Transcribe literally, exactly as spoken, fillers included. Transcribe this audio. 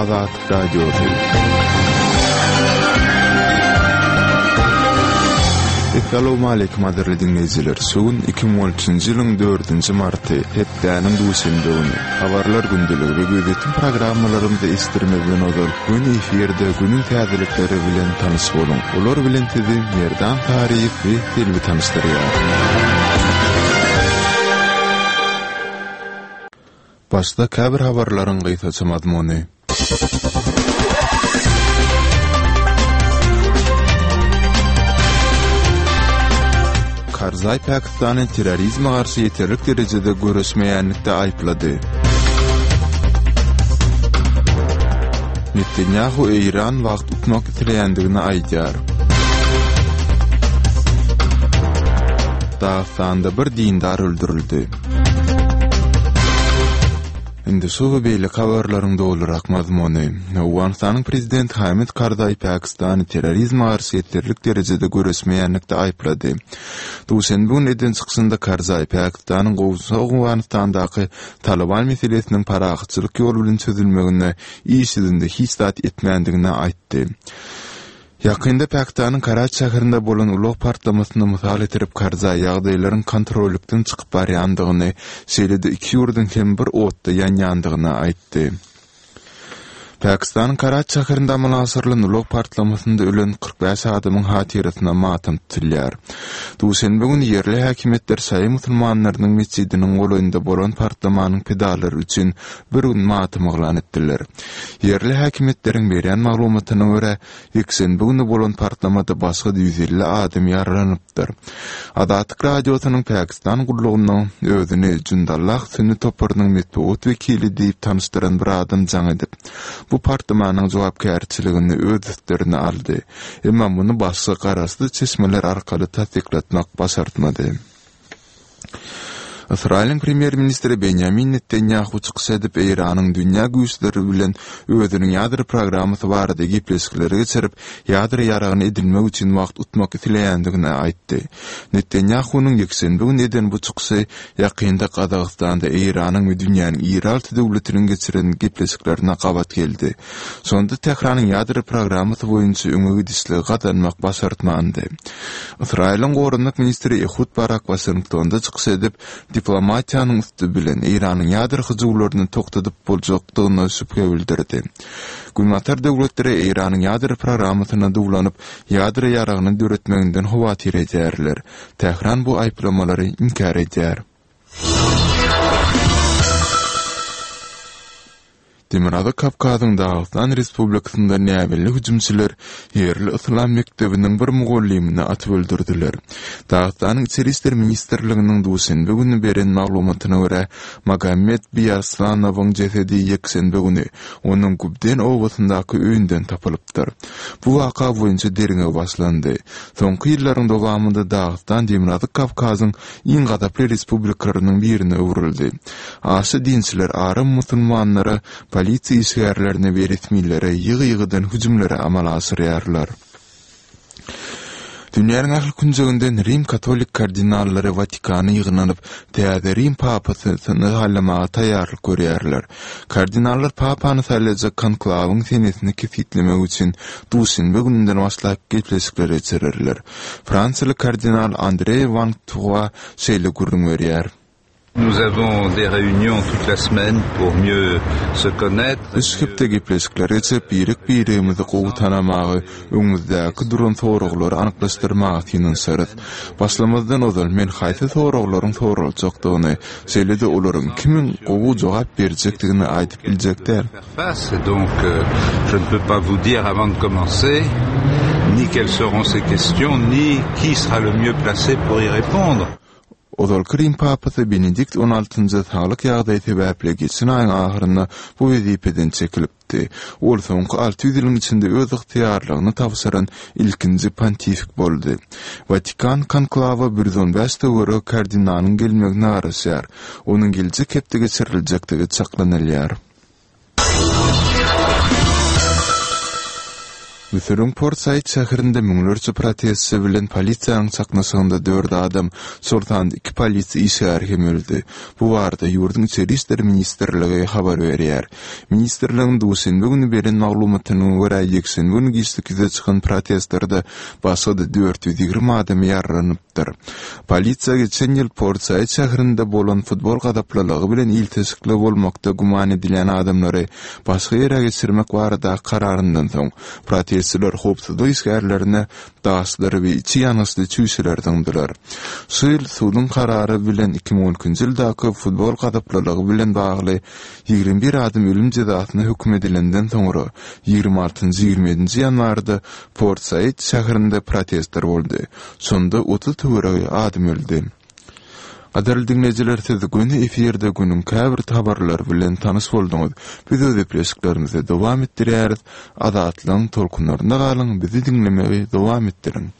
Azatlyk Radiosy. Essalawmaleýkim gadyrly diňleýjiler! Şu gün iki müň on üçünji ýylyň dördünji marty, hepdäniň duşenbe güni. Habarlar gündeligi we gözýetim programmalarymyzy eşitdirmezden ozal, göni efirde günüň täzelikleri bilen tanyş boluň. Olar bilen sizi Merdan Saryýew we Selbi tanyşdyrýar. Başda käbir habarlaryň gysgaça mazmuny. Karzaý Pakistany terrorizme garşy ýeterlik derejede göreşmeýänlikde aýyplady. Netanýahu Eýran wagt utmak isleýändigini aýdýar. Dagystanda bir dindar öldürildi. Indi şu we beýleki habarlaryň dolurak mazmuny. Owganystanyň prezidenti Hamid Karzaý Pakistany terrorizme garşy ýeterlik derejede göreşmeýänlikde aýyplady. Duşenbe güni eden çykyşynda Karzaý Pakistanyň goňşy Owganystandaky Talyban meselesiniň parahatçylyk ýoly bilen çözülmeginde iş ýüzünde hiç zat etmändigini aýtdy. Ýakynda Pakistanyň Karaçi şäherinde bolan ulag partlamasyny mysal getirip, Karzaý ýagdaýlaryň kontrollykdan çykyp barýandygyny, şeýle-de iki ýurduň hem bir otda ýanýandygyny aýtdy. Pakistanyň Karaçi şäherinde amala aşyrylan ulag partlamasynda ölen kyrk bäş adamyň hatyrasyna matam tutulýar. Duşenbe güni ýerli häkimiýetler şaýy musulmanlarynyň metjidiniň golaýynda bolan partlamanyň pidalary üçin bir gün matam yglan etdiler. Ýerli häkimiýetleriň berýän maglumatyna görä, ýekşenbe güni bolan partlamada başga-da ýüz elli adam ýaralanypdyr. Azatlyk Radiosynyň Pakistan gullugyna özüni Jundallah sünni toparynyň metbugat wekili diýip tanyşdyran bir adam jaň edip, bu partlamanyň jogapkärçiligini öz üstlerine aldy. Emma muny başga garaşsyz çeşmeler arkaly tassyklatmak başartmady. Ysraýylyň premýer-ministri Benýamin Netanýahu çykyş edip, Eýranyň dünýä güýçleri bilen özüniň ýadro programmasy barada gepleşikleri geçirip, ýadro ýaragyny edinmek üçin wagt utmak isleýändigini aýtdy. Netanýahunyň ýekşenbe güni eden bu çykyşy ýakynda Gazagystanda Eýranyň we dünýäniň iri alty döwletiniň geçiren gepleşiklerine gabat geldi. Şonda Tähranyň ýadro programmasy boýunça öňe gidişligi gazanmak başartmandy. Ysraýylyň goranmak ministri Ehud Barak Waşingtonda çykyş edip, diplomatiýanyň üsti bilen Eýranyň ýadro hyjuwlaryny togtadyp boljakdygyna şübhe bildirdi. Günbatar döwletleri Eýranyň ýadro programmasyna duwlanyp, ýadro ýaragyny döretmeginden howatyr edýärler. Tähran bu aýyplamalary inkär edýär. Demirgazyk Kawkazyň Dagystan Respublikasynda näbelli hüjümçiler ýerli yslam mekdebiniň bir mugallymyny atyp öldürdiler. Dagystanyň Içeri işler ministrliginiň duşenbe güni beren maglumatyna görä, Magomed Biýarslanowyň jesedi ýekşenbe güni onuň Gubden obasyndaky öýünden tapylypdyr. Bu waka boýunça derňew başlandy. Soňky ýyllaryň dowamynda Dagystan Demirgazyk Kawkazyň iň gazaply respublikalarynyň birine öwrüldi. Aşa dinçiler aram musulmanlara, polisiýa işgärlerine we resmilere ýygy-ýygydan hüjümleri amala aşyrýarlar. Dünýäniň ähli künjeginden rim katolik kardinallary Watikana ýygnanyp, täze rim papasyny saýlamaga taýýarlyk görýärler. Kardinallar papany saýlajak konklawyň senesini kesgitlemek üçin duşenbe gününden başlap gepleşikler geçirerler. Fransiýaly kardinal Andre Wang Tua şeýle gürrüň berýär. Nous avons des réunions toute la semaine pour mieux se connaître. Üç hepde gepleşikler geçirip, birek-biregimizi gowy tanamagy, öňümizdäki duran soraglary anyklaşdyrmaga synanyşarys. Başlamazdan ozal, men haýsy soraglaryň soraljakdygyny, şeýle-de olaryň kimiň gowy jogap berjekdigini aýdyp biljek däl. Face et donc je ne peux pas vous dire avant de commencer ni quelles seront ces questions ni qui sera le mieux placé pour y répondre. Ozalky Rim papasy Benedikt on altynjy saglyk ýagdaýy sebäpli geçen aýyň ahyrynda bu wezipeden çekilipdi. Ol soňky alty ýüz ýylyň içinde öz ygtyýarlygyny tabşyran ilkinji pontifik boldy. Watikan konklawa bir ýüz on bäş töweregi kardinalyň gelmegine garaşýar. Onuň geljek hepde geçiriljekdigi çaklanylýar. Müsüriň Port Said şäherinde müňlerçe protestçi bilen polisiýanyň çaknyşygynda dört adam, şol sanda iki polisiýa işgäri hem öldi. Bu barada ýurduň Içeri işler ministrligi habar berýär. Ministrligiň duşenbe güni beren maglumatyna görä, ýekşenbe güni giçlik ýüze çykan protestlerde başga-da dört ýüz ýigrimi adam ýaralanypdyr. Polisiýa geçen ýyl Port Said şäherinde bolan futbol gazaplylygy bilen ilteşikli bolmakda güman edilýän adamlary başga ýere geçirmek baradaky kararyndan soň, protestçiler howpsuzlyk işgärlerine daşlary we içi ýangyçly çüýşeleri zyňdylar. Şu ýyl suduň karary bilen iki müň on ikinji ýyldaky futbol gazaplylygy bilen bagly ýigrimi bir adam ölüm jezasyna höküm edilenden soňra, ýigrimi altynjy, ýigrimi ýedinji ýanwarda Port Said şäherinde protestler boldy. Şonda otuz töweregi adam öldi. Gadyrly diňleýjiler, siz göni efirde günüň käbir habarlary bilen tanyş bolduňyz. Biz öz gepleşiklerimizi dowam etdirýäris. Azatlygyň tolkunlarynda galyň, bizi diňlemegi dowam etdiriň.